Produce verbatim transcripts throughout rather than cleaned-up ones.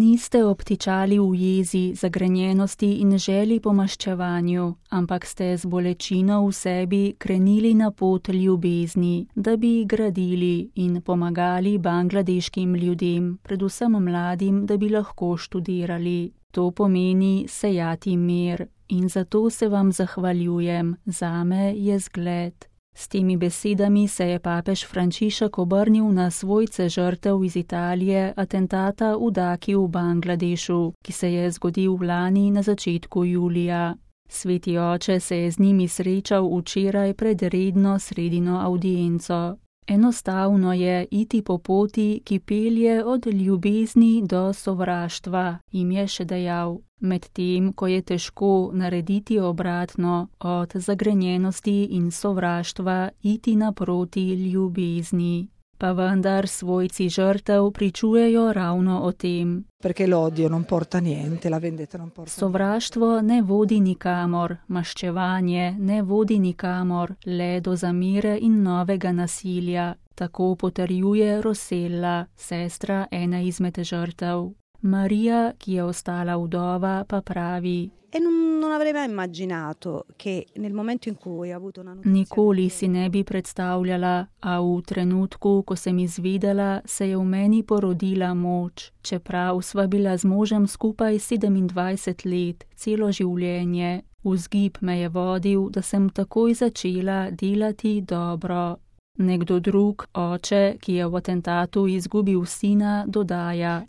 Niste obtičali v jezi, zagrenjenosti in želji po maščevanju, ampak ste z bolečino v sebi krenili na pot ljubezni, da bi gradili in pomagali bangladeškim ljudem, predvsem mladim, da bi lahko študirali. To pomeni sejati mir in zato se vam zahvaljujem, zame je zgled. S temi besedami se je papež Frančišek obrnil na svojce žrtev iz Italije atentata v Daki v Bangladešu, ki se je zgodil lani na začetku julija. Sveti oče se je z njimi srečal včeraj pred redno sredino avdienco. Enostavno je iti po poti, ki pelje od ljubezni do sovraštva, jim je še dejal, medtem ko je težko narediti obratno, od zagrenjenosti in sovraštva iti naproti ljubezni. Pa vendar svojci žrtev pričujejo ravno o tem. Sovraštvo ne vodi nikamor, maščevanje ne vodi nikamor, le do zamere in novega nasilja, tako potrjuje Rosella, sestra ene izmed žrtev. Marija, ki je ostala vdova, pa pravi: Nikoli si ne bi predstavljala, a v trenutku, ko sem izvedela, se je v meni porodila moč, čeprav sva bila z možem skupaj sedemindvajset let, celo življenje. Vzgib me je vodil, da sem takoj začela delati dobro. Nekdo drug, oče, ki je v atentatu izgubil sina, dodaja: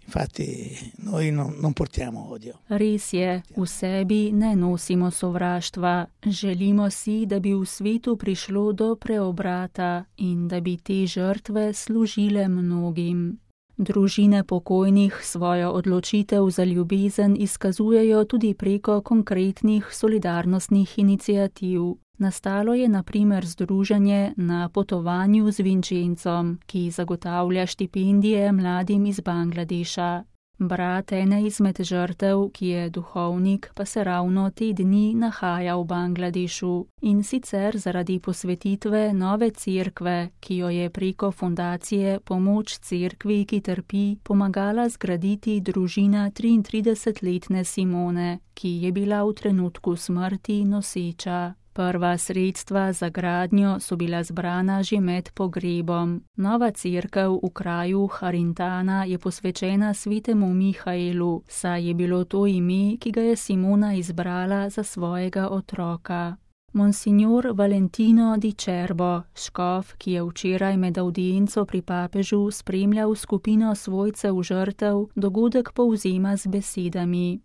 Res je, v sebi ne nosimo sovraštva. Želimo si, da bi v svetu prišlo do preobrata in da bi te žrtve služile mnogim. Družine pokojnih svojo odločitev za ljubezen izkazujejo tudi preko konkretnih solidarnostnih iniciativ. Nastalo je na primer združenje Na potovanju z Vinčencom, ki zagotavlja štipendije mladim iz Bangladeša. Brat ene izmed žrtev, ki je duhovnik, pa se ravno te dni nahaja v Bangladešu in sicer zaradi posvetitve nove cerkve, ki jo je preko fundacije Pomoč cerkvi, ki trpi, pomagala zgraditi družina triintridesetletne Simone, ki je bila v trenutku smrti noseča. Prva sredstva za gradnjo so bila zbrana že med pogrebom. Nova cerkev v kraju Harintana je posvečena svetemu Mihaelu, saj je bilo to ime, ki ga je Simona izbrala za svojega otroka. Monsignor Valentino Di Cerbo, škof, ki je včeraj med avdienco pri papežu spremljal skupino svojcev žrtev, dogodek povzema z besedami: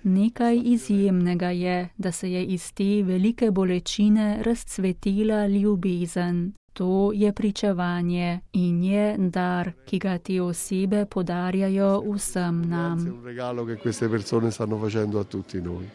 Nekaj izjemnega je, da se je iz te velike bolečine razcvetela ljubezen. To je pričevanje in je dar, ki ga te osebe podarjajo vsem nam.